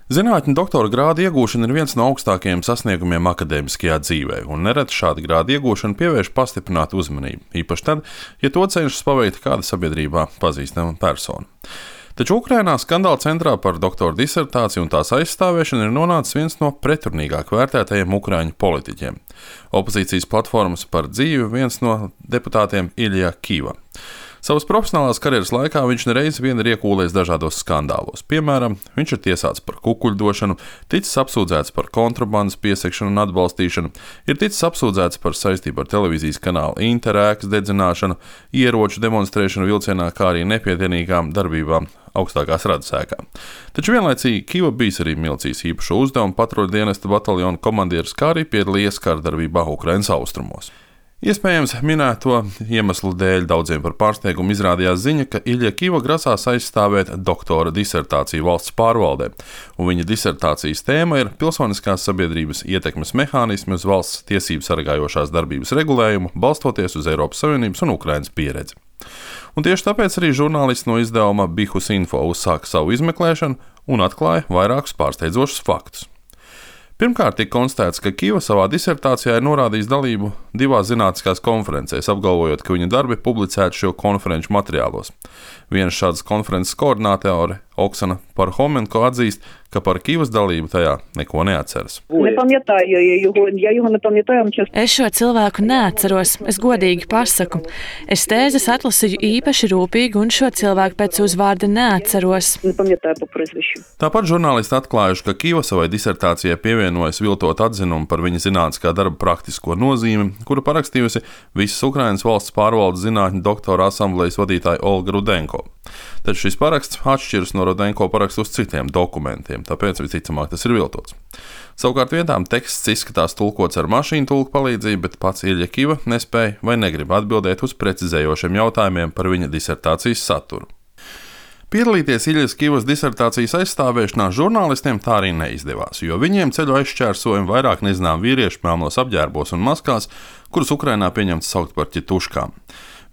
Zinātņu doktora grāda iegūšana ir viens no augstākajiem sasniegumiem akadēmiskajā dzīvē, un nereti šāda grāda iegūšana pievērš pastiprinātu uzmanību, īpaši tad, ja to cenšas paveikt kāda sabiedrībā pazīstama persona. Taču Ukrainā skandāla centrā par doktora disertāciju un tās aizstāvēšanu ir nonācis viens no pretrunīgāk vērtētajiem ukraiņu politiķiem. Opozīcijas platformas par dzīvi viens no deputātiem Ilja Kiva. Savas profesionālās karjeras laikā viņš nereiz vien ir iekūlējis dažādos skandālos. Piemēram, viņš ir tiesāts par kukuļdošanu, ticis apsūdzēts par kontrabandas piesegšanu un atbalstīšanu, ir ticis apsūdzēts par saistību ar televīzijas kanāla Interēkas dedzināšanu, ieroču demonstrēšanu vilcienā, kā arī nepietienīgām darbībām augstākās radas ēkā. Taču vienlaicīgi Kiva bijis arī milicijas īpašo uzdevumu patruļu dienesta bataljona komandieris, kā arī piedalījies kārdarbībā Ukrainas austrumos. Iespējams, minēto iemeslu dēļ daudziem par pārsteigumu izrādījās ziņa, ka Ilja Kiva grasās aizstāvēt doktora disertāciju valsts pārvaldē, un viņa disertācijas tēma ir pilsoniskās sabiedrības ietekmes mehānismi uz valsts tiesību sargājošās darbības regulējumu, balstoties uz Eiropas Savienības un Ukrainas pieredzi. Un tieši tāpēc arī žurnālists no izdevuma Bihus Info uzsāka savu izmeklēšanu un atklāja vairākus pārsteidzošus faktus. Pirmkārt, tika konstatēts, ka Kiva savā disertācijā ir norādījis dalību divās zinātniskās konferencēs, apgalvojot, ka viņa darbi publicēti šo konferenču materiālos. Viena šādas konferences koordinātore, Oksana Parhomenko, atzīst, ka par Kivas dalību tajā neko neatceras. Es šo cilvēku neatceros, es godīgi pasaku. Es tēzes atlasīju īpaši rūpīgi un šo cilvēku pēc uzvārda neatceros. Tāpat žurnālisti atklājuši, ka Kiva savai disertācijai pievienojas viltot atzinumu par viņa zinātniskā darba praktisko nozīmi, kuru parakstījusi visas Ukrainas valsts pārvaldes zinātņu doktora asamblejas vadītāja Olga Rudenko. Taču šis paraksts atšķiras no Rudenko parakstu uz citiem dokumentiem, tāpēc visticamāk tas ir viltots. Savukārt vietām teksts izskatās tulkots ar mašīnu tulku palīdzību, bet pats Ilja Kiva nespēja vai negrib atbildēt uz precizējošiem jautājumiem par viņa disertācijas saturu. Piedalīties Iljas Kivas disertācijas aizstāvēšanā žurnālistiem tā arī neizdevās, jo viņiem ceļu aizšķērsojumi vairāk nezinām vīrieši melnos apģērbos un maskās, kurus Ukrainā pieņemts saukt par ķituškām.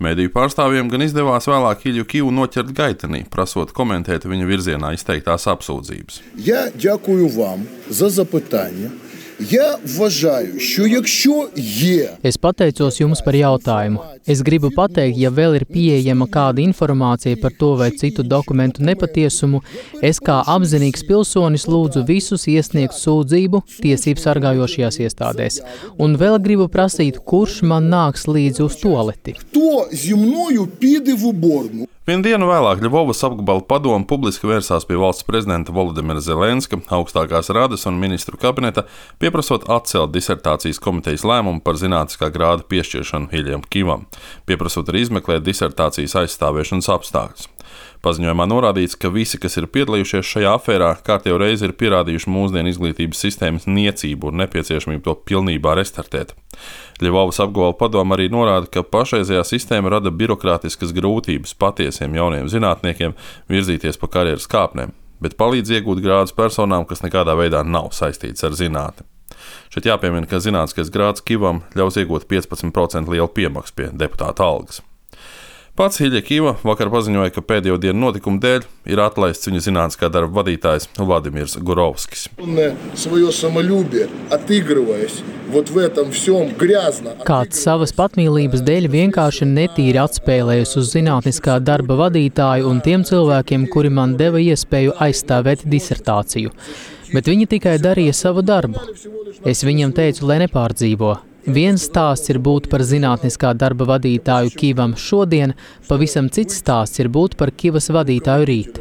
Mēdīju pārstāvjiem gan izdevās vēlāk Ilju Kivu noķert gaitenī, prasot komentēt viņa virzienā izteiktās apsūdzības. Я дякую вам за запитання. Я вважаю, що якщо є... Es pateicos jums par jautājumu. Es gribu pateikt, ja vēl ir pieejama kāda informācija par to vai citu dokumentu nepatiesumu, es kā apzinīgs pilsonis lūdzu visus iesniegt sūdzību tiesību sargājošajās iestādēs. Un vēl gribu prasīt, kurš man nāks līdzi uz tualeti. Хто зі мною піде в уборну? Vienu dienu vēlāk Ļuvovas apgabala padome publiski vērsās pie valsts prezidenta Volodimira Zelenska, augstākās radas un ministru kabineta, pieprasot atcelt disertācijas komitejas lēmumu par zinātniskā grāda piešķiršanu Iljam Kivam, pieprasot arī izmeklēt disertācijas aizstāvēšanas apstākļus. Paziņojumā norādīts, ka visi, kas ir piedalījušies šajā afērā, kārtējo reizi ir pierādījuši mūsdienu izglītības sistēmas niecību un nepieciešamību to pilnībā restartēt. Ļuvovas apgabala padome arī norāda, ka pašreizējā sistēma rada birokrātiskas grūtības patiesiem jauniem zinātniekiem virzīties pa karjeras kāpnēm, bet palīdz iegūt grādus personām, kas nekādā veidā nav saistīts ar zinātni. Šeit jāpiemina, ka zinātniskais grāds Kivam ļaus iegūt 15% lielu piemaksu pie deputāta algas. Pats Ilja Kiva vakar paziņoja, ka pēdējo dienu notikumu dēļ ir atlaists viņa zinātniskā darba vadītājs Vladimirs Gurovskis. Kāds savas patmīlības dēļ vienkārši netīri atspēlējas uz zinātniskā darba vadītāju un tiem cilvēkiem, kuri man deva iespēju aizstāvēt disertāciju. Bet viņi tikai darīja savu darbu. Es viņam teicu, lai nepārdzīvo. Viens stāsts ir būt par zinātniskā darba vadītāju Kivam šodien, pavisam cits stāsts ir būt par Kivas vadītāju rīt.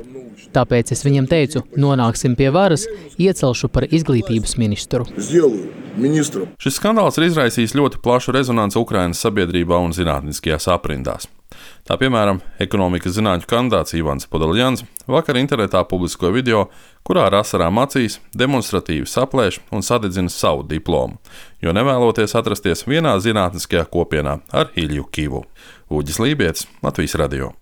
Tāpēc es viņam teicu, nonāksim pie varas, iecelšu par izglītības ministru. Šis skandāls ir izraisījis ļoti plašu rezonanci Ukrainas sabiedrībā un zinātniskajās aprindās. Tā piemēram, ekonomikas zinātņu kandidāts Ivans Podoljans vakar internetā publiskoja video, kurā ar asarām acīs demonstratīvi saplēš un sadedzina savu diplomu, jo nevēloties atrasties vienā zinātniskajā kopienā ar Ilju Kivu. Uģis Lībietis, Latvijas radio.